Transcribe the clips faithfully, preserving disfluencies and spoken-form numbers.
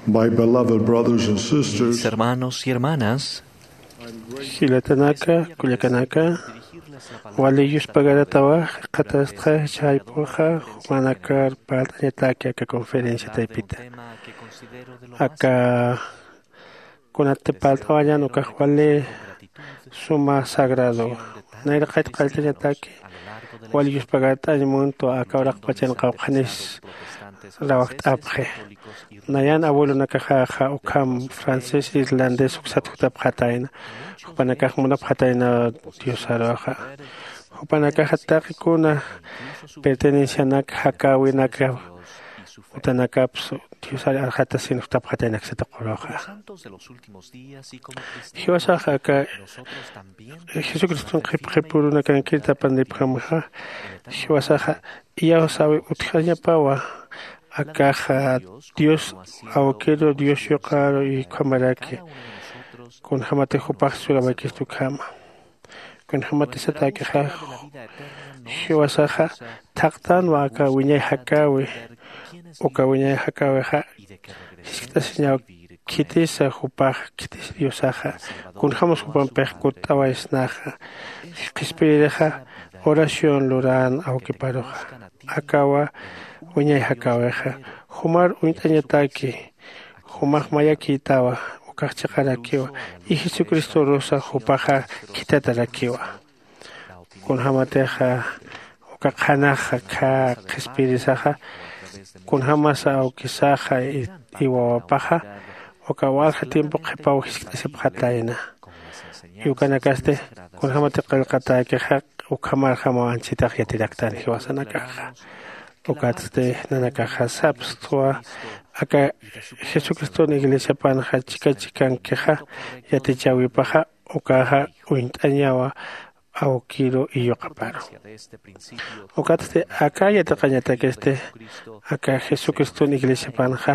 My beloved brothers and sisters, mis hermanos y hermanas, jilatanaka, kullakanaka, wali yuspagaratawa, qatastxa chaypuxa, jumanakar parlt'añataki aka conferencia taypita. Aka kunati parlt'awañan ukax wali suma sagrado. Nayraqayt qalltañataki wali yuspagart'añ muntwa aka uraqpachan qawqhanis rawajt'apxi. Nayan abuelonakaxaxa ukham francés irlandés uksat jutapxatayna. Jupanakax munapxatayna diosaruxa. Jupanakaxa taqi kuna pertenencianak jakäwinaka utanakapsu diosar arxatasin jutapxataynaksata quruxa. Jiwasax aka jesucriston qhipqhipurunakankir tapanipjamxa jiwasaxa iyawsawi utjañapawa. Akaxa dios awkiru dios yuqaru y ukhamaraki kunjämatix jupax surawaykistu ukhama. Kunjämatisatakixa jiwasaxa thaqtanwa aka wiñay jakäwi. Uka wiñay jakäwixa jiskt'asiñaw khitisa jupax khitis diosaxa kunjämas jupampix kutt'awaysnaxa. Qhispiyirixa oración luran awkiparuxa akawa wiñay jakäwixa jumar uñt'añataki jumax mayakïtawa. Ukax chiqarakiwa y jesucristorusa jupaxa khithatarakiwa. Kunjämatixa uka qhanaxa khä qhispiyirisaxa kunjämasa awkisaxa y wawapaxa uka walja tiempo qhipaw jiskt'asipxatayna. Y ukanakasti kunjämati qillqatäkixa ukhamarjamaw anchitax yatiraktan jiwasanakaxa. Ukatsti nanakaxa sapstwa aka jesucriston iglesiapanxa chika chikankixa yatichäwipaxa ukaxa uñt'añawa awkiru y yuqaparu. Ukatsti aka yatiqañatakisti aka jesucriston iglesiapanxa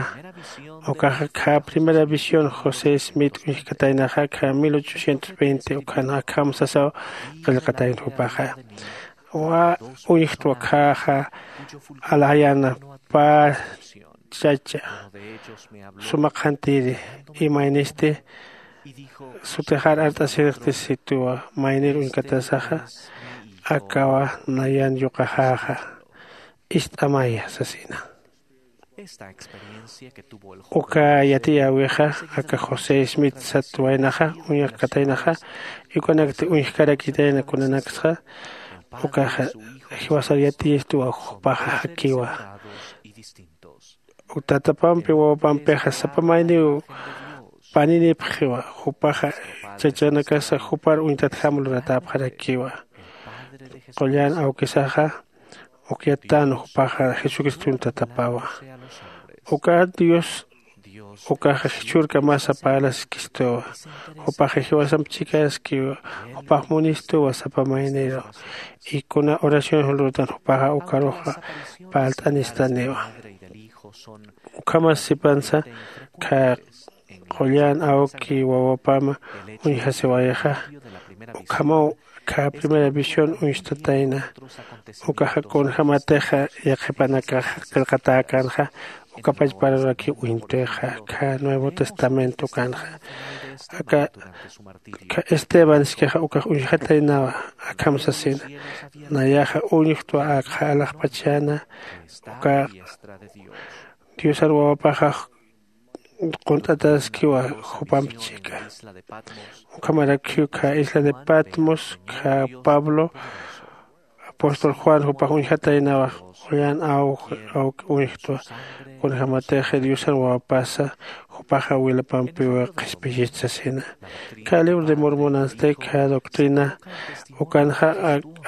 ukaxa khä primera visión josé smith uñjkataynaxa khä mil ochocientos veinte ukhana akham sasaw qillqatayna jupaxa. Uñjtwa khäxa alaxayana pä chacha suma qhantiri imaynisti sutixar art'asirixti situwa maynir uñkatasaxa akawa nayan yuqaxäxa ist'amaya sasina. Uka yatiyäwixa aka josé smith sat waynaxa uñjkataynaxa y ukanakti uñjkarakitayna kunanaksxa ukaxa jiwasar yatiyistuwa jupaxa jakiwa. Tatapampi wawapampixa sapa mayniw paninipxiwa jupaxa chachanakasa jupar uñtatjam luratäpxarakiwa. Qullan awkisaxa ukyattan jupaxa jesucriston tatapawa. Uka dios ukaxa jichhürkamasa parlaskistuwa. Jupaxa jiwasamp chikaskiwa jupax munistuwa sapa mayniru. Y kuna oración julurutan jupaxa ukaruxa parlt'anistaniwa. Ukhamas sipansa khä qullan awki wawapama uñjasiwayixa ukhamaw khä primera visión uñstatayna. Ukaxa kunjämatixa yaqhipanakaxa qillqatäkänxa uka pachparurakiw uñt'ixa khä nuevo testamento ukanxa. Aka khä esteban iskixa ukax uñjataynawa akham sasina. Nayaxa uñjtwa akxa alaxpachana uka diosar wawapaxax qunt'ataskiwa jupamp chika. Ukhamarakiw khä isla de patmos khä pablo apóstol juan jupax uñjataynawa. Qullan awki uñjtwa kunjämatix diosan wawapasa jupaxa wilapampiw qhispiyist sasina. Khä libro de mormonansti khä doctrina ukanxa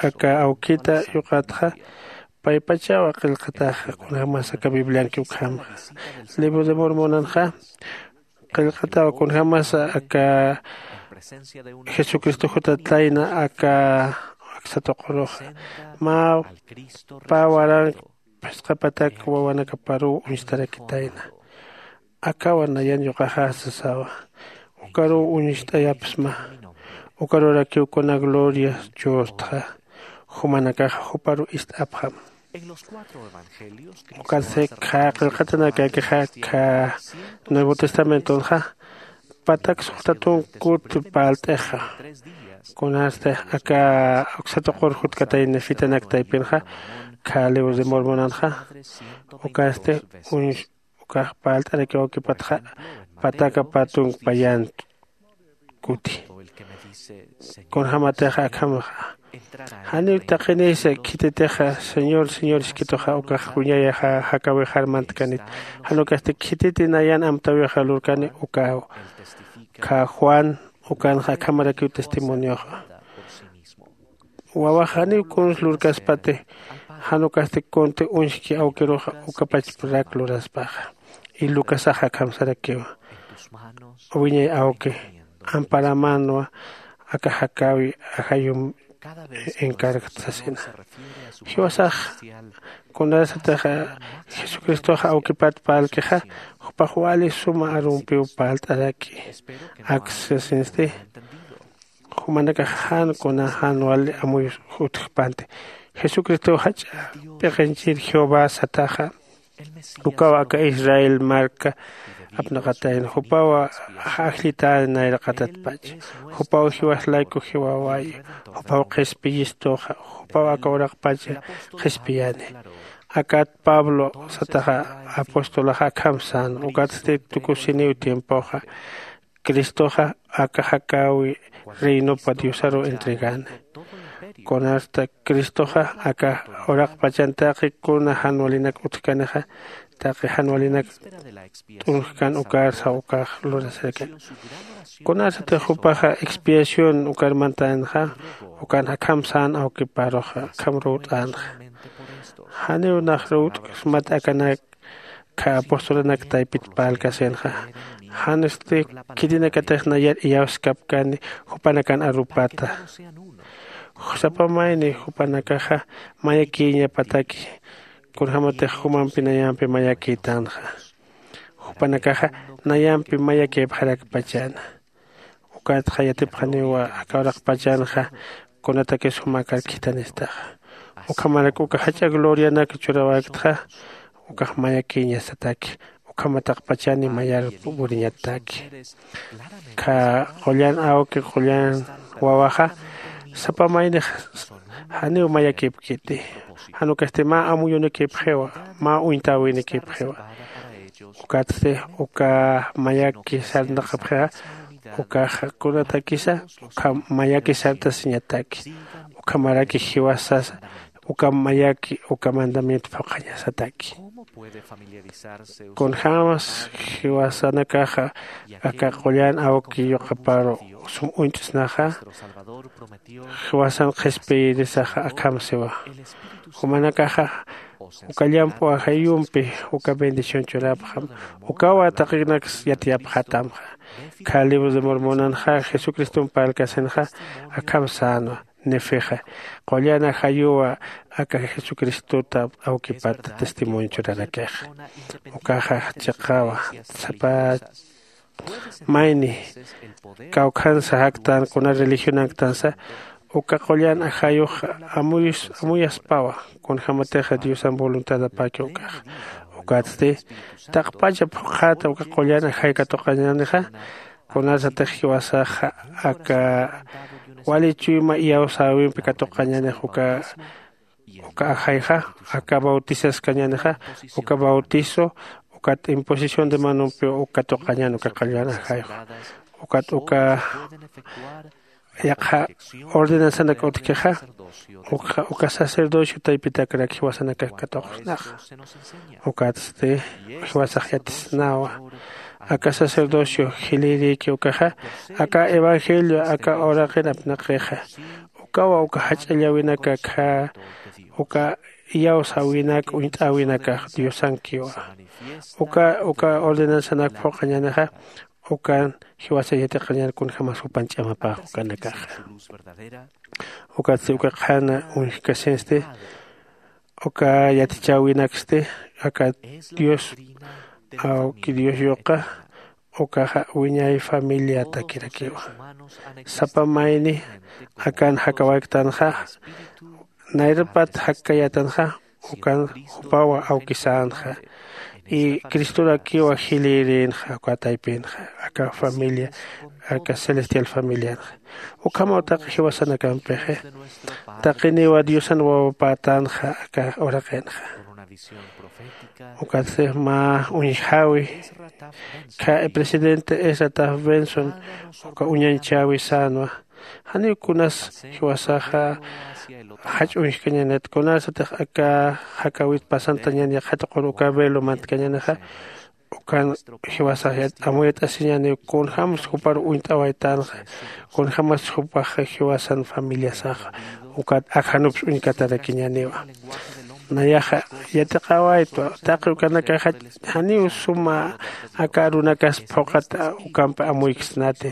aka awkita yuqatxa paypachawa qillqataxa kunjämas aka biblianki ukhamxa. Libro de mormonanxa qillqatawa kunjämasa aka jesucristo jutatlayna aka aksa tuquruxa mä pä warank phisqa patak wawanakaparuw uñstarakitayna. Akawa nayan yuqaxa sasawa ukaruw uñst'ayapsma. Ukarurakiw kuna gloria churtxa jumanakaxa juparu ist'apxam. Ukatsti khä qillqatanakakixa khä Nuevo testamentonxa patak suxta tunka kuti parlt'ixa. Kunasti aka uksa tuqur jutkatayni fitanak taypinxa kha libro de mormonanxa ukasti uñs ukax parlt'arakiw awkipatxa pataka pä tunka payän kuti. Kunjämatix akhamaxa janiw taqinisa khititixa señor señor iskituxa ukax wiñayaxa jakäwixar mantkanit. Jan ukasti khititi nayan amtäwixa lurkani ukäw. Khä juan ukanxa akhamarakiw testimonioxa. Wawax janiw kuns lurkaspati jan ukasti kunti uñski awkiruxa ukapachparak luraspaxa. Y lucasaxa akham sarakiwa wiñay awki amparamanwa aka jakäwi ajayum encargat sasina. Jiwasax kunasatix jesucristoxa awkipat parlkixa jupax wali suma arumpiw parlt'araki. Aksasinsti jumanakax jan kuna jan wali amuy utjpanti. Jesucristow jach'a p'iqinchir jehová sataxa ukaw aka israel marka apnaqatayna jupaw ajllitäni nayraqatatpach. Jupaw jiwas layku jiwaway jupaw qhispiyistuxa jupaw aka uraqpach qhispiyani. Akat pablo sataxa apostolaxa akham sän ukatsti tukusiniw tiempoxa cristoxa aka jakäwi reinopa diosaruw entregani. Kunasta cristoxa aka uraqpachan taqi kuna jan walinak utjkanixa taqi jan walinak t'unjkan ukarsa ukax lurasarakan. Kunasatix jupaxa expiación ukar mantänxa ukan akham sän awkiparuxa akham ruwt'änxa. Janiw nax ruwt'ksmat akanak kha apostolanak taypit parlkasinxa. Jansti khitinakatix nayar iyawskapkani jupanakan arupata. Sapa mayni jupanakaxa mayakïñapataki kunjämatix jumampi nayampi mayakïtänxa. Jupanakaxa nayampi mayakïpxarakpachäna. Ukatxa yatipxaniwa aka uraqpachanxa kunatakis jumakar khithanistaxa. Ukhamarak uka jach'a glorianak churawäktxa ukax mayakïñasataki. Ukhama taqpachani mayar puriñataki. Kha qullan awki qullan wawaxa sapa maynix janiw mayakipkiti. Jan ukasti mä amuyunikipxiwa mä uñtäwinikipxiwa. Ukatsti uka mayaki sarnaqapxixa ukaxa kunatakisa ukham mayaki sartasiñataki. Ukhamaraki jiwasasa uka mayaki uka mandamiento phuqhañasataki. Kunjämas jiwasanakaxa aka qullan awki yuqaparu sum uñt'snaxa jiwasan qhispiyirisaxa akham siwa. Jumanakaxa uka llamp'u ajayumpi uka bendición churapxam. Ukawa taqinaks yatiyapxatamxa. Kha libro de mormonanxa jesucristomp parlkasinxa akham sänwa. Nefixa qullan ajayuwa aka jesucristota awkipata testimonio churarakixa. Ukaxa chiqawa sapa mayni kawkhansa jaktan kuna religionanktansa uka qullan ajayux amuyaspawa. Kunjämatixa diosan voluntadapäki ukaxa. Ukatsti taqpacha phuqhäta uka qullan ajay katuqañänixa. Kunasatix jiwasaxa aka wali chuyma iyawsäwimpi katuqañänix uka uka ajayxa aka bautizaskañänixa uka bautizo ukat imposición de manompiw uk katuqañän uka qallwan ajayxa. Ukat uka yaqha ordenanzanak utjkixa uka sacerdocio taypitakrak jiwasanakak katuqsnaxa. Ukatsti jiwasax yatisnawa aka sacerdocio jilïrïki ukaxa aka evangelio aka uraqin apnaqixa ukawa uka jach'allawinakakxa uka iyawsäwinak uñt'äwinakax diosankiwa. Uka uka ordenanzanak phuqañänixa ukan jiwasa yatiqañän kunjämas jupan ch'amapäx ukanakaxa. Ukatsti uka qhana uñjkasinsti uka yatichäwinaksti aka dios awki dios yuqa ukaxa wiñay familiatakirakiwa. Sapa mayni akan jakawaktanxa nayrapat jakkayätanxa ukan jupawa awkisänxa. Y cristor akiwa jilïrinxa uka taypinxa aka familia aka celestial familianxa. Ukhamaw taqi jiwasanakampixi taqiniwa diosan wawapätanxa aka uraqinxa. Ukatsix mä uñjäwi khä presidente esataf benson uka uñañchäwi sänwa. Janiw kunas jiwasaxa jach'uñjkañanit kunasatix aka jakäwit pasantañan yaqhatuqun uka velo mantkañanixa. Ukan jiwasax amuyat'asiñaniw kunjämas jupar uñt'awaytänxa. Kunjämas jupax jiwasan familiasaxa ukat akjanups uñkatarakiñaniwa. Nayaxa yatiqäwaytwa taqi ukanakaxa janiw suma aka arunakas phuqhat ukampi amuyksnati.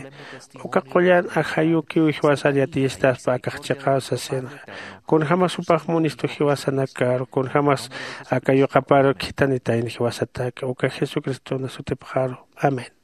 Uka qullan ajayukiw jiwasar yatiyistaspa akax chiqaw sasinxa. Kunjämas jupax munistu jiwasanakar kunjämas aka yuqapar khithanitayni jiwasataki uka jesucriston sutipxaru. Amén.